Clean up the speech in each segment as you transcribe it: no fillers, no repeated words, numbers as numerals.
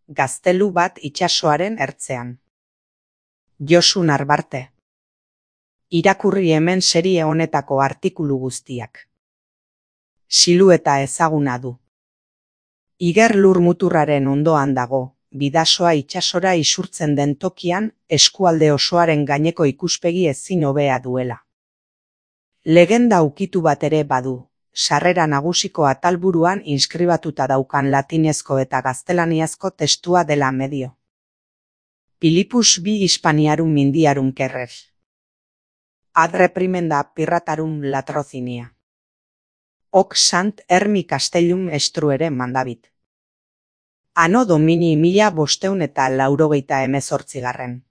gaztelu bat itsasoaren ertzean. Josu Narbarte. Irakurri hemen serie honetako artikulu guztiak. Silueta ezaguna du. Iger lur muturraren ondoan dago, bidasoa itsasora isurtzen den tokian, eskualde osoaren gaineko ikuspegi ezin hobea duela. Legenda ukitu bat ere badu, sarrera nagusiko atalburuan inskribatuta daukan latinezko eta gaztelaniazko testua dela medio. Pilipus bi Hispaniarum Mindiarum Kerrer. Ad reprimenda pirratarum latrocinia. Hoc sant Hermi Castellum estruere mandabit. Anno Domini 1588.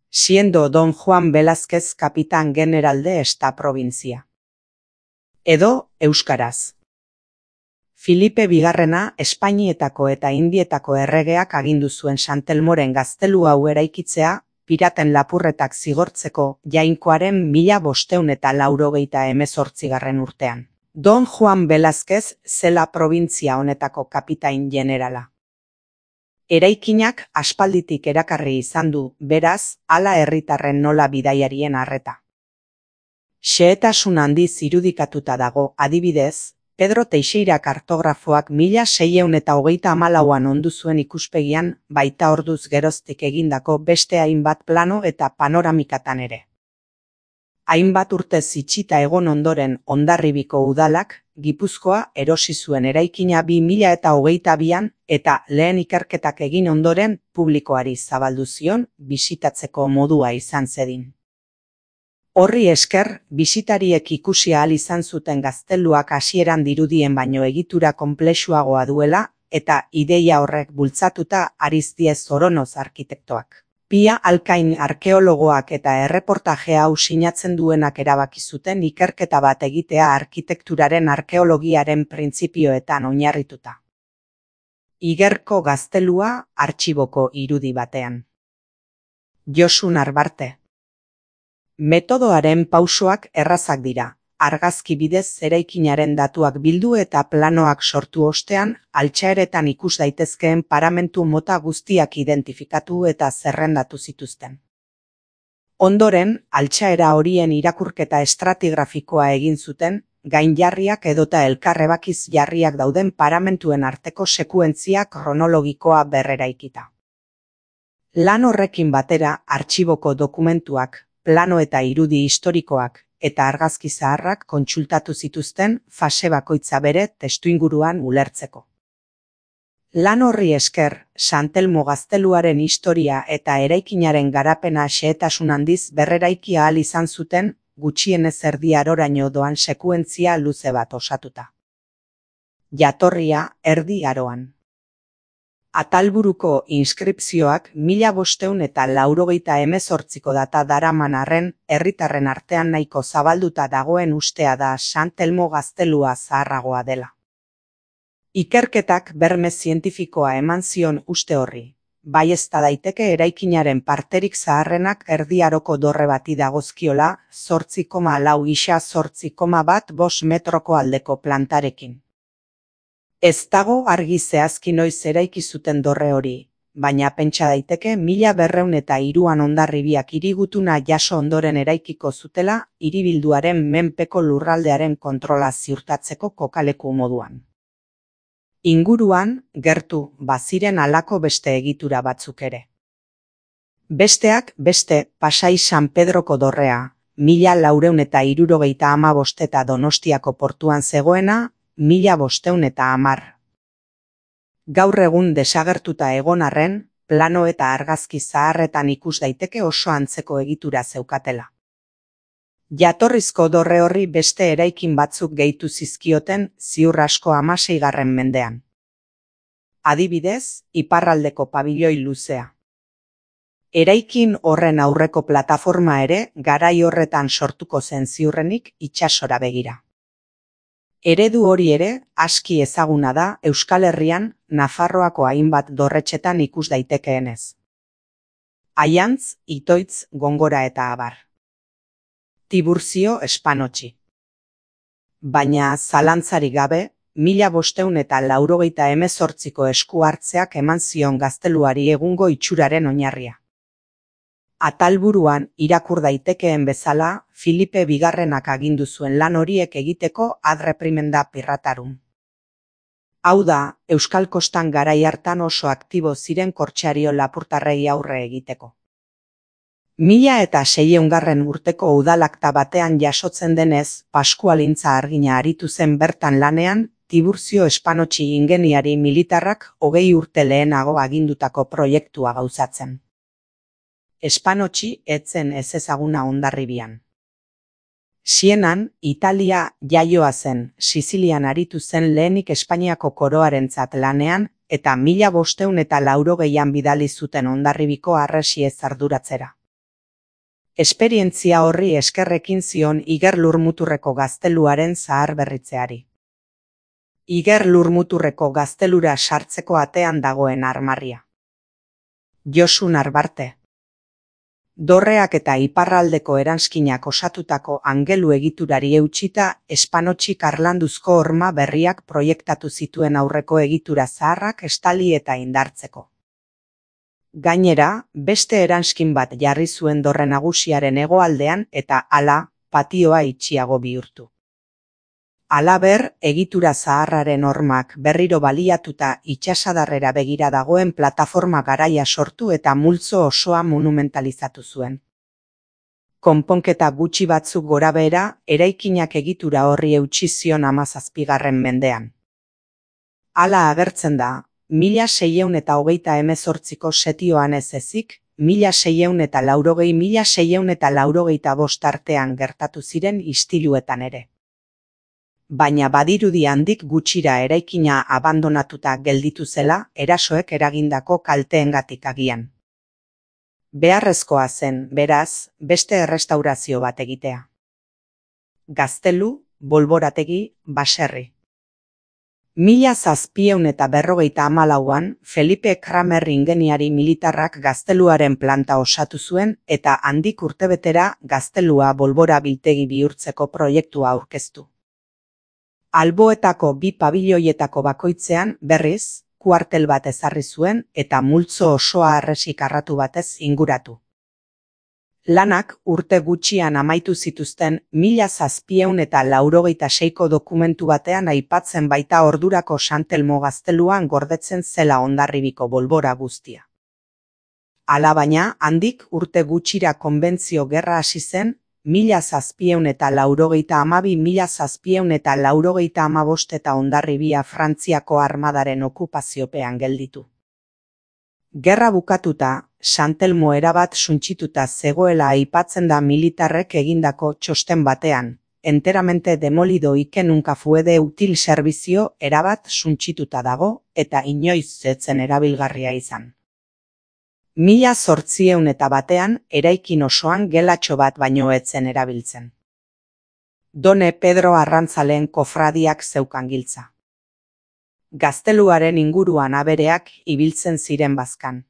Siendo Don Juan Velázquez capitán general de esta provincia. Edo, euskaraz. Filipe Bigarrena Espainietako eta Indietako erregeak agindu zuen Santelmoren gaztelu hau eraikitzea, piraten lapurretak zigortzeko Jainkoaren 1588 urtean. Don Juan Velázquez zela provintzia honetako kapitain generala. Eraikinak aspalditik erakarri izan du, beraz, hala herritarren nola bidaiarien arreta. Xehetasun handiz irudikatuta dago, adibidez, Pedro Teixeira kartografoak 1634an ondu zuen ikuspegian, baita orduz geroztik egindako beste hainbat plano eta panoramikatan ere. Hainbat urtez itxita egon ondoren Hondarribiko udalak, Gipuzkoa erosi zuen eraikina 2022an eta lehen ikerketak egin ondoren publikoari zabaldu zion bisitatzeko modua izan zedin. Horri esker, bisitariek ikusi ahal izan zuten gazteluak hasieran dirudien baino egitura konplexuagoa duela eta ideia horrek bultzatuta Arizdiez Oronoz arkitektoak. Pia Alkain arkeologoak eta erreportaje hau sinatzen duenak erabaki zuten ikerketa bat egitea arkitekturaren arkeologiaren printzipioetan oinarrituta. Igerko gaztelua artxiboko irudi batean. Josu Narbarte. Metodoaren pausoak errazak dira. Argazki bidez eraikinaren datuak bildu eta planoak sortu ostean, altxaeretan ikus daitezkeen paramentu mota guztiak identifikatu eta zerrendatu zituzten. Ondoren, altxaera horien irakurketa estratigrafikoa egin zuten, gainjarriak edota elkarrebakiz jarriak dauden paramentuen arteko sekuentzia kronologikoa berreraikita. Lan horrekin batera, artxiboko dokumentuak, plano eta irudi historikoak, eta argazki zaharrak kontsultatu zituzten fase bakoitza bere testuinguruan ulertzeko. Lan horri esker, Santelmo gazteluaren historia eta eraikinaren garapena xehetasun handiz berreraiki ahal izan zuten, gutxienez erdi aroraino doan sekuentzia luze bat osatuta. Jatorria erdi aroan. Atalburuko inskripzioak 1588ko data daraman arren, herritarren artean nahiko zabalduta dagoen ustea da Santelmo gaztelua zaharragoa dela. Ikerketak berme zientifikoa eman zion uste horri, baiezta daiteke eraikinaren parterik zaharrenak Erdi Aroko dorre bati dagozkiola 8,4 isa 8,15 metroko aldeko plantarekin. Ez dago argi zehazki noiz eraiki zuten dorre hori, baina pentsa daiteke 1203an Hondarribiak hirigutuna jaso ondoren eraikiko zutela hiribilduaren menpeko lurraldearen kontrola ziurtatzeko kokaleku moduan. Inguruan, gertu, baziren halako beste egitura batzuk ere. Besteak beste, Pasai San Pedroko dorrea, 1475 eta Donostiako portuan zegoena, 1510. Gaur egun desagertuta egon arren, plano eta argazki zaharretan ikus daiteke oso antzeko egitura zeukatela. Jatorrizko dorre horri beste eraikin batzuk gehitu zizkioten ziur asko 16. mendean. Adibidez, iparraldeko pabiloi luzea. Eraikin horren aurreko plataforma ere garai horretan sortuko zen ziurrenik itsasora begira. Eredu hori ere aski ezaguna da Euskal Herrian Nafarroako hainbat dorretxetan ikus daitekeenez. Aiantz, Itoitz, Gongora eta abar. Tiburcio Espanotxi. Baina zalantzarik gabe, 1588ko esku hartzeak eman zion gazteluari egungo itxuraren oinarria. Atalburuan irakur daitekeen bezala, Filipe Bigarrenak agindu zuen lan horiek egiteko ad reprimenda piratarum. Hau da, Euskal Kostan garai hartan oso aktibo ziren kortsario lapurtarrei aurre egiteko. 1600 urteko udalakta batean jasotzen denez, Paskualintza Argina aritu zen bertan lanean, Tiburcio Espanotxi ingeniari militarrak 20 urte lehenago agindutako proiektua gauzatzen. Espanotxi ez zen ezezaguna Hondarribian. Sienan, Italia jaioa zen, Sizilian aritu zen lehenik Espainiako koroarentzat lanean, eta 1580an bidali zuten Hondarribiko harresiez arduratzera. Esperientzia horri eskerrekin zion Iger Lurmuturreko gazteluaren zaharberritzeari. Iger Lurmuturreko gaztelura sartzeko atean dagoen armarria. Josu Narbarte. Dorreak eta iparraldeko eranskinak osatutako angelu egiturari eutsita, Espanotxik harlanduzko horma berriak proiektatu zituen aurreko egitura zaharrak estali eta indartzeko. Gainera, beste eranskin bat jarri zuen dorre nagusiaren hegoaldean eta hala, patioa itxiago bihurtu. Halaber, egitura zaharraren hormak berriro baliatuta itsasadarrera begira dagoen plataforma garaia sortu eta multzo osoa monumentalizatu zuen. Konponketa gutxi batzuk gorabehera, eraikinak egitura horri eutsi zion 17. mendean. Hala agertzen da, 1628ko setioan ez ezik, 1680-1685 artean gertatu ziren istiluetan ere. Baina badirudi handik gutxira eraikina abandonatuta gelditu zela, erasoek eragindako kalteengatik agian. Beharrezkoa zen, beraz, beste errestaurazio bat egitea. Gaztelu, bolborategi, baserri. 1754an, Felipe Kramer ingeniari militarrak gazteluaren planta osatu zuen eta handik urtebetera gaztelua bolbora biltegi bihurtzeko proiektua aurkeztu. Alboetako 2 pabiloietako bakoitzean, berriz, kuartel bat ezarri zuen eta multzo osoa harresi karratu batez inguratu. Lanak urte gutxian amaitu zituzten 1786ko dokumentu batean aipatzen baita ordurako Santelmo gazteluan gordetzen zela Hondarribiko bolbora guztia. Alabaina, handik urte gutxira konbentzio gerra hasi zen, 1792-1795 eta Hondarribia Frantziako armadaren okupaziopean gelditu. Gerra bukatuta, Santelmo erabat suntsituta zegoela aipatzen da militarrek egindako txosten batean, enteramente demolido y que nunca fue de útil servicio erabat suntsituta dago eta inoiz ez zen erabilgarria izan. 1801 eraikin osoan gelatxo bat baino ez zen erabiltzen. Done Pedro Arrantzaleen kofradiak zeukan giltza. Gazteluaren inguruan abereak ibiltzen ziren bazkan.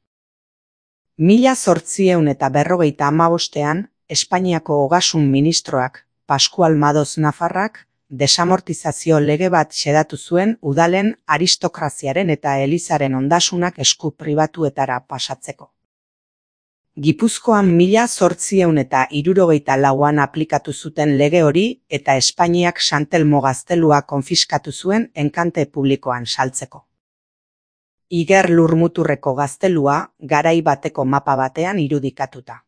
1855an, Espainiako ogasun ministroak, Pascual Madoz Nafarrak, desamortizazio lege bat xedatu zuen udalen aristokraziaren eta elizaren ondasunak esku pribatuetara pasatzeko. Gipuzkoan 1864an aplikatu zuten lege hori eta Espainiak Santelmo gaztelua konfiskatu zuen enkante publikoan saltzeko. Iger Lurmuturreko gaztelua garai bateko mapa batean irudikatuta.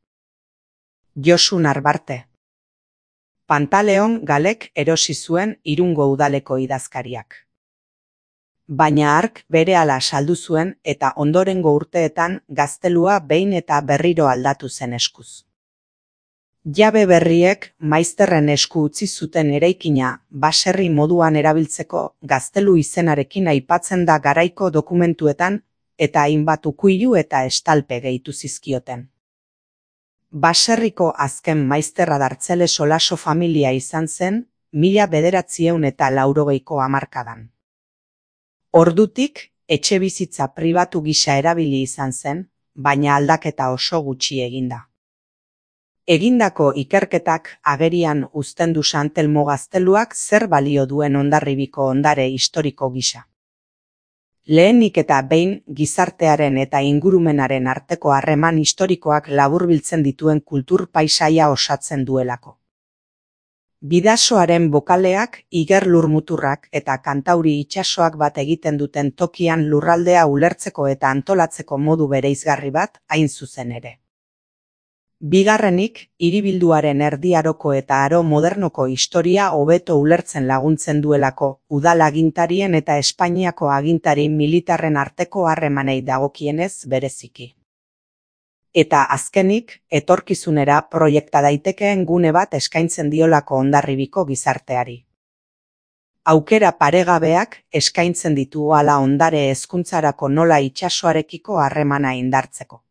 Josu Narbarte. Pantaleon Galek erosi zuen Irungo udaleko idazkariak. Baina hark berehala saldu zuen eta ondorengo urteetan gaztelua behin eta berriro aldatu zen eskuz. Jabe berriek maizterren esku utzi zuten eraikina baserri moduan erabiltzeko gaztelu izenarekin aipatzen da garaiko dokumentuetan eta hainbat ukuilu eta estalpe gehitu zizkioten. Baserriko azken maizterra Dartzele Solaso familia izan zen 1980ko hamarkadan. Ordutik, etxebizitza pribatu gisa erabili izan zen, baina aldaketa oso gutxi eginda. Egindako ikerketak agerian uzten du San Telmo gazteluak zer balio duen Hondarribiko ondare historiko gisa. Lehenik eta behin gizartearen eta ingurumenaren arteko harreman historikoak laburbiltzen dituen kultur paisaia osatzen duelako. Bidasoaren bokaleak, Iger lurmuturrak eta Kantauri itsasoak bat egiten duten tokian lurraldea ulertzeko eta antolatzeko modu bereizgarri bat hain zuzen ere. Bigarrenik, hiribilduaren Erdi Aroko eta Aro modernoko historia hobeto ulertzen laguntzen duelako, udal agintarien eta Espainiako agintari militarren arteko harremanei dagokienez bereziki. Eta azkenik, etorkizunera proiekta daitekeen gune bat eskaintzen diolako Hondarribiko gizarteari. Aukera paregabeak eskaintzen ditu hala ondare hezkuntzarako nola itsasoarekiko harremana indartzeko.